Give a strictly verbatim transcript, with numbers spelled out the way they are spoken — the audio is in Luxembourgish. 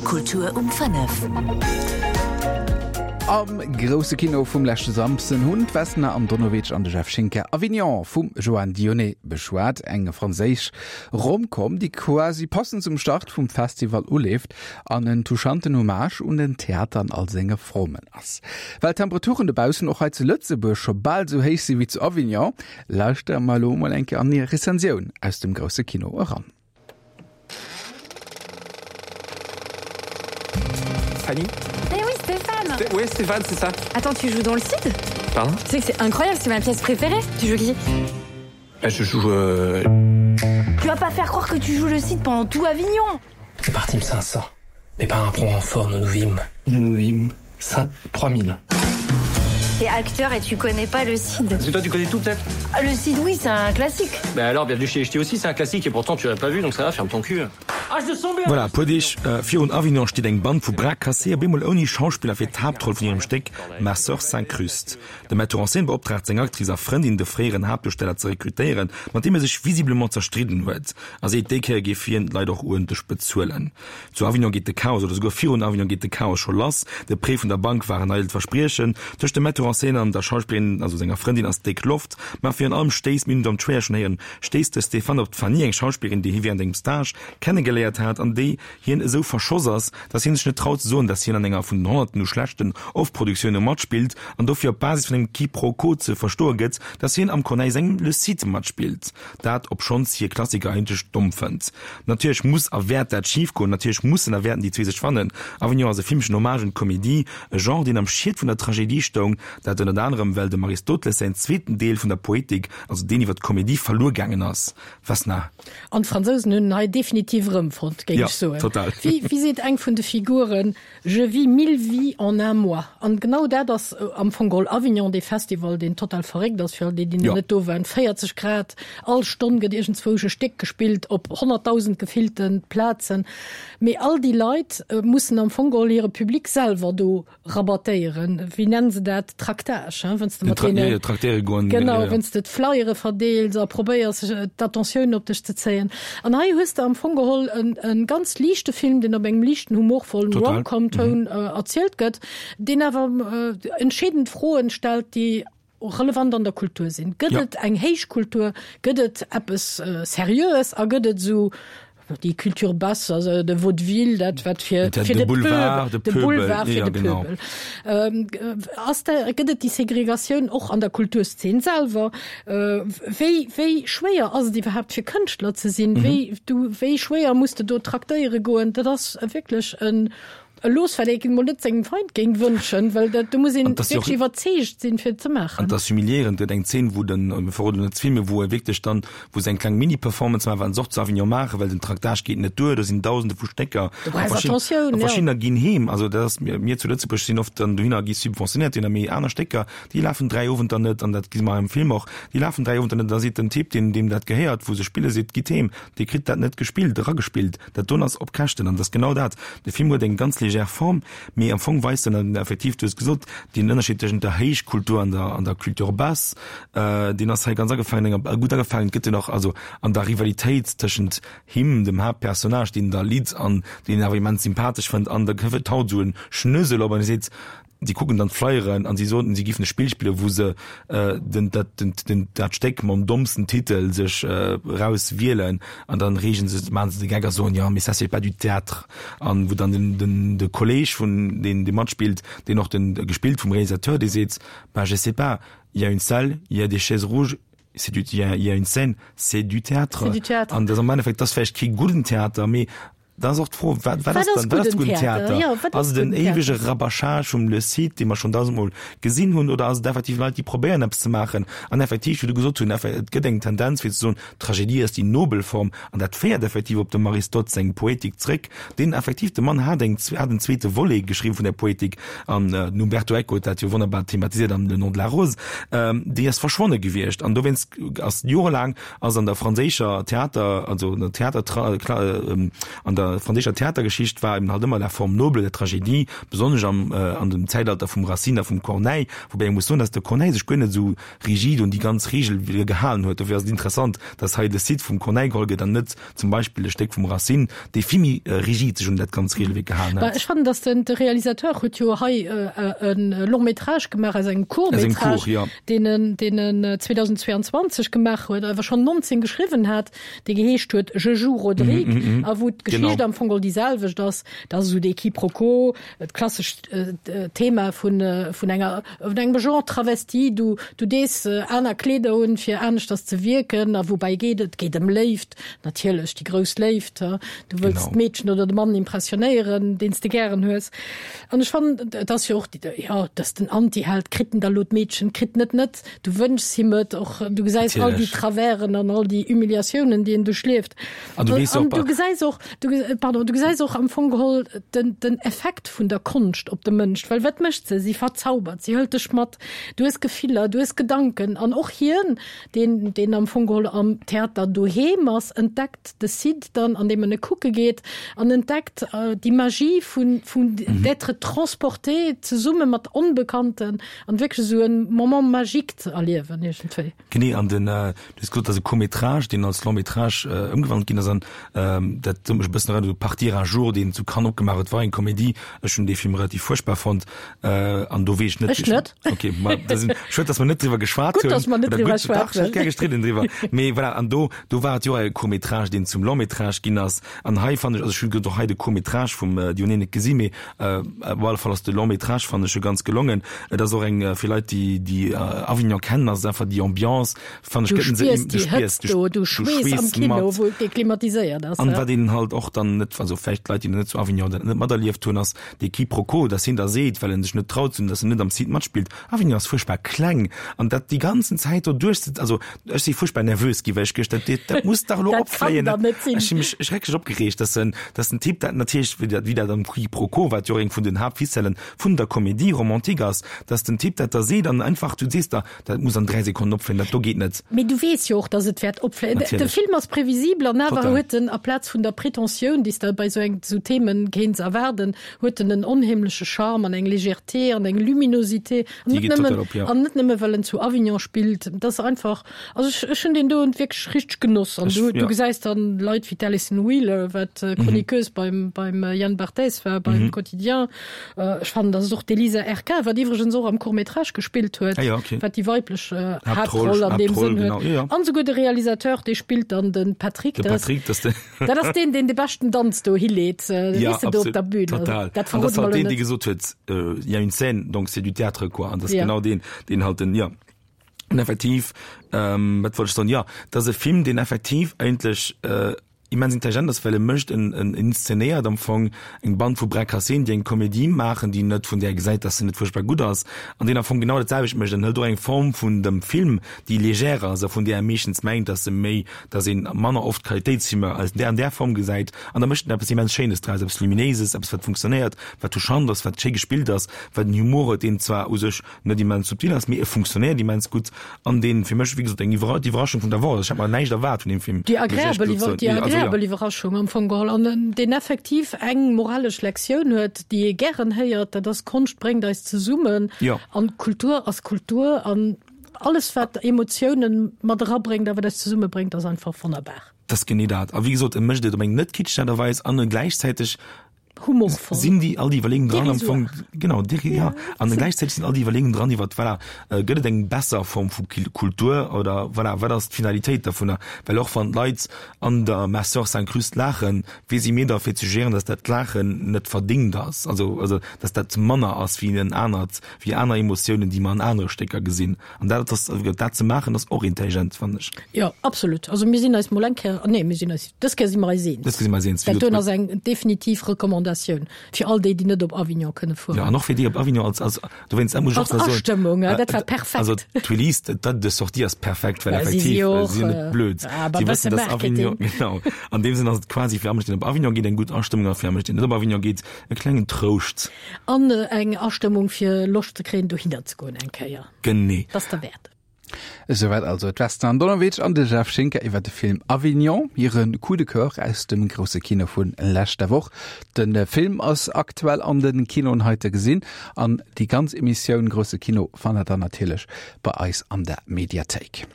Kultur um fënnef. Am grousse Kino vum leschte Samsden hunn d'Vesna Andonovic an de Jeff Schinker Avignon vum Joan Dionnet beschwat, eng franséisch Rom-Com, déi quasi passend zum Start vum Festival uleeft an en touchanten Hommage un den Theater an all senge Formen ass. Well d'Temperaturen dobaussen och hei zu Lëtzebuerg scho bal sou héich si wéi zu Avignon, lauschtere mer elo mol eng Kéier an hir Rezensioun aus dem grousse Kino eran. Fanny Eh oui, Stéphane Sté Ouais, Stéphane, c'est ça. Attends, tu joues dans le Cid Pardon Tu sais que c'est incroyable, c'est ma pièce préférée. Tu joues qui Bah, je joue. Euh... Tu vas pas faire croire que tu joues le Cid pendant tout Avignon Nous partîmes cinq cents, mais par un prompt renfort nous nous vîmes. Nous nous vîmes cinq, trois mille. T'es acteur et tu connais pas le Cid. Parce que toi, tu connais tout peut-être Ah, le Cid, oui, c'est un classique. Bah alors, bienvenue chez les Ch'tis aussi, c'est un classique et pourtant tu l'as pas vu, donc ça va, ferme ton cul. Ah, je le sens bien Voilà, puer Deeg virun Avignon steet eng Band vu Bras cassés op eemol ouni Schauspiller fir d'Haaptroll vun hirem Stéck Ma sœur s'incruste. De Metteur en scène beoptraagt seng Actrice a Frëndin, de fréieren Haaptduersteller ze rekrutéieren, mat deem e sech visiblement zerstridden huet, a seet, déi Kéier géif hien d'Leit och uerdentlech bezuelen. Zu Avignon geet de Chaos, oder souguer virun Avignon geet de Chaos scho lass. De Prêt vun der Bank war en eidelt Verspriechen. Tëscht dem Metteur en scène an der Schauspillerin, also senger Frëndin, ass déck Loft. Ma virun allem stéisst, mir hunn et am Trailer schonn héieren, stéisst de Stéphane op d'Fanny, eng Schauspillerin, déi hie wärend engem Stage kennegeléiert hat an déi hien esou verschoss ass, dass hien sech net traut ze soen, dass hien an enger vun den Honnerten u schlechten Off-Produktioune matspillt an dofir op Basis vun engem Quiproquo ze verstoe gëtt, dass hien am Corneille sengem Le Cid matspillt. Dat obschonns hie Klassiker eigentlech domm fënnt. Natierlech muss a wäert dat schif goen, natierlech mussen a wäerten déi zwee sech fannen. Avignon ass e filmeschen Hommage un d'Komedie, e Genre, deen am Schiet vun der Tragedie stoung, dat ënnert anerem well dem Aristoteles säin zweeten Deel vun der Poetik, also deen iwwer d'Komedie, verluer gaangen ass. Vesna. An d'Fransousen hunn en hei definitiv erëmfonnt, géing Ja, ech soen. total. Wéi, wéi seet eng vun de Figuren, Je vis mille vies en un mois. An genau dat ass am Fong geholl Avignon, dee Festival, deen total verréckt ass, fir all déi, déi nach Ja. net do waren. véierzeg Grad, all Stonn gëtt iergendzwousch e Stéck gespillt op honnertdausend gefillte Plazen. Mee all déi Leit mussen am Fong geholl hire Public selwer do rabattéieren. Wéi nennen se dat? Tractage, hein, wann s de mat deene. Jo, traktéiere goen. Genau, wann s de d'Flyere verdeels a probéiers, d'Attentioun op dech ze zéien. An hei hues de am Fong geholl en, en ganz liichte Film, deen op engem liichten, humorvollen Rom-Com-Toun erzielt gëtt, deen awer entscheedend Froen stellt, déi relevant an der Kultur sinn. Gëtt et eng Héichkultur? Gëtt et eppes Seriöes? A gëtt et esou déi Culture basse, also de Vaudeville, dat wat fir fir de Boulevard, de Boulevard fir de Pöbel. Ass da, gëtt et déi Segregatioun och an der Kulturszene selwer? Wéi, wéi schwéier ass et iwwerhaapt fir Kënschtler ze sinn? Wéi du, wéi schwéier muss de do traktéiere goen? Dat ass wierklech en E Looss, wat ee mol net sengem Feind géing wënschen, well dat, do muss een wierklech iwwerzeegt sinn, fir et ze maachen. An et ass humiliéierend, et gëtt eng Zeen, wou den, mir verroden net ze vill, mee wou e wierklech dann, wou se eng kleng Mini-Performance maachen, wat se och zu Avignon maachen, well den Tractage geet net duer, do sinn Dausende vu Stécker, Du brauchs Attentioun, a jo. verschiddener ginn heem. Also dat ass, mir, mir zu Lëtzebuerg sinn oft dann dohinner a gi subventionéiert, dohinner, mee aner Stécker, déi lafen dräi Owenter net, an dat gesi mer am Film och, déi lafen dräi Owenter net, an da seet den Typ, deen, deem dat gehéiert, wou se spille seet, gitt heem, Dir kritt dat net gespillt, eragespillt, dat doen ass op Käschten. An dat ass genau dat, de Film huet eng ganz légère Form, mee am Fong weist en effektiv, du hues gesot, deen Ënnerscheed tëschent der Héichkultur an der, an der Culture basse, deen ass hei ganz agefaangen, enger, gutt agefaangen gëtt en och, also an der Rivalitéit tëschent him, dem Haaptpersonnage, deen da litt an deen en awer immens sympathesch fënnt, an da taucht esou en Schnösel op an e seet, Si kucken dann d'Flyeren an si soten, si giffen e Spill spillen, wou se den, dat, den, den, dat Stéck mam dommsten Titel sech eraus wielen an dann reegen se, maachen se de Gag a soen, jo, mais ça c'est pas du théâtre. An wou dann den, den, de Kolleg vun, deen, dee matspillt, deen och den, gespillt vum Realisateur, dee seet, ben je sais pas, il y a une salle, il y a des chaises rouges, c'est du, il y a, il y a une scène, c'est du théâtre. C'est du théâtre. An dat ass am Endeffekt, dat ass vläicht kee gudden Theater, mee Da ass och d'Fro, wat, wat ass dann, wat ass gudden Theater? Ja, wat ass et en éiwege Rabâchage vum Le Cid, dee mer schonn dausendmol gesinn hunn, oder ass et effektiv Leit, déi probéieren eppes ze maachen? An effektiv, wéi du gesot hunn, et gëtt eng Tendenz fir ze soen, d'Tragedie ass déi nobel Form, an dat féiert effektiv op dem Aristote seng Poetik zréck, deen effektiv, de Mann hat eng, hat en zweete Volet geschriwwen vun der Poetik, an den Umberto Eco huet dat jo wonnerbar thematiséiert am Le nom de la rose, déi ass verschwonne gewiescht. An dowéinst ass jorelaang ass an der franséischer Theater, also an der Theater, an der der franséischer Theatergeschicht war eben halt ëmmer la forme noble der Tragédie, besonnesch am an dem Zäitalter vum Racine a vum Corneille, woubäi ee muss soen, dass de Corneille sech guer net esou rigid un déi ganz Regel gehalen huet. Dofir ass et interessant, dass hei de Cid vum Corneille geholl gëtt an net zum Beispill e Stéck vum Racine, dee vill méi rigid sech un dat ganz Regelwierk gehalen hat. Ech fannen, dass den de Realisateur huet jo hei e Long-métrage gemaach aus engem Court-métrage, deen en deen en zweedausendzweeanzwanzeg gemaach huet, awer schonn nonzéng geschriwwen hat, dee geheescht huet Je joue Rodrigue a wou d'Geschicht am Fong geholl déi selwecht ass. Dat ass esou dee Quiproquo, d'klassescht Thema vun vun enger vun engem Genre Travesti, du du dees aner Kleeder un, fir aneschters ze wierken. A woubäi geet et? Et geet ëm Léift, natierlech, déi grouss Léift. Du wëlls d'Meedchen oder de Mann impressionéieren, deen s de gären hues. An ech fannen, et ass jo och, jo, et ass den Antiheld, kritt en da lo d'Meedchen, kritt en et net? Du wënschs him et och, du gesäis all déi Traversen an all déi Humiliatiounen, déi en duerchlieft. An du weess och, du gesäis och, du, pardon, du gesäis och am Fong geholl den, den Effekt vun der Konscht op de Mënsch. Well wat mécht se? Si verzaubert, si hëlt dech mat. Du hues Gefiller, du hues Gedanken. An och hien, deen, deen am Fong geholl am Theater doheem ass, entdeckt de Cid dann, an deem en e kucke geet, an entdeckt déi Magie vun, vun d'être transporté zesumme mat Onbekannten an wierklech esou e Moment magique ze erliewen iergendwéi. Genee, an den, du hues gesot, dat ass e Court-métrage, deen als Long-métrage ëmgewandelt ginn ass an dat huet mech e bëssen erënnert u Partir un jour, deen zu Cannes opgemaach huet, war eng Komedie. Ech hunn dee Film relativ fuerchtbar fonnt an do weess ech net. Ech net. Okay, ma dat sinn, schued, datt mer net driwwer geschwat hunn. Gutt, datt mer net driwwer schwat hunn. Dach, ech hätt gär gestridden driwwer. Mee voilà, an do, do war et jo och e Court-métrage, deen zum Long-métrage ginn ass. An hei fannen ech, also ech hunn och hei de Court-métrage vum Dionnet net gesi, mee op alle Fall ass de Long-métrage, fannen ech, jo ganz gelongen. Et ass och eng, fir Leit, déi, déi Avignon kennen, ass et einfach déi Ambiance, fannen ech, gëtt en se, du spiers déi Hëtzt do, du schweess am Kino, wou et klimatiséiert ass. An wat een halt och dann net, also vläicht Leit, déi net zu Avignon dat net materlieft hunn, ass dee Quiproquo, dass hien da seet, well en sech net traut, dass en net am Cid matspillt, Avignon ass fuerchtbar kleng an dat déi ganzen Zäit do duerch, also ech si fuerchtbar nervös gi, well ech geduecht, dat, dat muss dach elo opfléien. Dat kann dach net sinn. Ech hu mech schrecklech opgereegt, dass en, dass den Typ dat natierlech, wéi dat, wéi dat am Quiproquo, wat jo och eng vun den Haaptficellen vun der Comédie romantique ass, dass den Typ dat da seet an einfach, du sees der, dat muss an dräi Sekonnen opfléien, dat do geet net. Mee du weess jo och, dass et wäert opfléien. De Film ass previsibel an awer huet en, aplaz vun der Pretentioun, déi s de bei esou eng, esou Themen kéints erwaarden, huet en en onheemleche Charme an eng Légèreté an eng Luminosité. An net nëmmen, an net nëmme well en zu Avignon spillt. Dat ass einfach, also ech, ech hunn deen do wierklech richteg genoss. An du, du gesäis dann Leit wéi d'Alison Wheeler, wat Chroniqueuse beim, beim Yann Barthès war, beim Quotidien. Ech fannen, dass et och d'Elisa Erquin, wat iwwregens och am Court-métrage gespillt huet, ah ja, okay. wat déi weiblech äh, Haaptroll an deem Sënn huet. Ja, ja. An souguer de Realisateur, dee spillt dann den Patrick. De Patrick, das, de dat ass deen, deen de beschten Danz do hileet, äh, ja, do op der Bühne. Total. Dat An das halt deen, dee gesot huet, äh, il y a une scène, donc c'est du théâtre, quoi. An das ja. genau deen, deen halt den, ja. An effektiv, ähm, wat wollt ech soen? Ja, dat ass e Film, deen effektiv eigentlech äh, immens intelligent ass, well e mécht en, en inszenéiert am Fong eng Band vu Bras cassés, déi eng Komedie maachen, déi net, vun där ee gesäit, dass se net fuerchtbar gutt ass, an deen am Fong genau dat selwecht mécht. En hëlt och eng Form vun dem Film, déi légère ass a vun där ee meeschtens mengt, dass se méi, dass een manner oft Qualitéitsfilmer als där an där Form gesäit, an da mécht en eppes immens Schéines draus, eppes Luminéises, eppes wat funktionéiert, wat touchant ass, wat schéi gespillt ass, wat en Humor huet, deen zwar u sech net immens subtil ass, mee e funktionéiert immens gutt an deen fir mech, wéi gesot, eng Iwwer d'Iwwerraschung vun der Woch ass. Ech hat mer näischt erwaart vun deem Film, Déi agreabel Iwwer déi agreabel Iwwerraschung am Fong geholl an deen effektiv eng moralesch Lektioun huet, déi ee gären héiert, dat ass, Konscht bréngt eis zesummen an Kultur ass Kultur an alles wat Emotiounen mat erabréngt a wat eis zesummebréngt, ass einfach wonnerbar. Dat ass genee dat. A wéi gesot, e mécht et op eng net kitscheg Aart a Weis an e gläichzäiteg Humorvoll. Sinn déi all déi Iwwerleeungen dran am Fong, genau, dérisoire. Ja, an gläichzäiteg sinn all déi Iwwerleeungen dran iwwer, voilà, gëtt et eng besser Form vu Kultur oder, voilà, wat ass d'Finalitéit dovunner? Well och wann d'Leit an der Ma sœur s'incruste laachen, wie si mir da fir ze jugéieren, datt dat Laachen net verdéngt ass, also, also datt dat manner ass wéi en anert, wéi aner Emotiounen, déi mer an anere Stécker gesinn. An dat ass, dat ze maachen, ass och intelligent, fannen ech. Jo, absolut. Also mir sinn eis mol eng Kéier, nee, mir sinn eis, dës Kéier si mer eis eens. Dës Kéier si mer eis eens. Dat doen ass eng definitiv Recommandatioun fir all déi, déi net op Avignon kënne fueren. Jo, an och fir déi op Avignon als, als, dowéinst, dat muss ech och nach soen. Als Astëmmung, ja, dat war perfekt. Also d'Release, d'Date de sortie ass perfekt, well effektiv, si sinn net blöd. Si wëssen, dass Avignon, genau. An deem Sënn ass et quasi fir all Mënsch, deen op Avignon geet, eng gutt Astëmmung a fir all Mënsch, deen net op Avignon geet, e klengen Trouscht. An eng Astëmmung fir Loscht ze kréien, dohinner ze goen eng Kéier. Genee. Dat ass derwäert. Esouwäit also d'Vesna Andonovic an de Jeff Schinker iwwer de Film Avignon, hire Coup de Coeur aus dem grousse Kino vu leschter Woch. De Film ass aktuell an de Kinoen hei ze gesinn an déi ganz Emissioun Grousse Kino fannt der dann natierlech bei eis an der Mediathéik.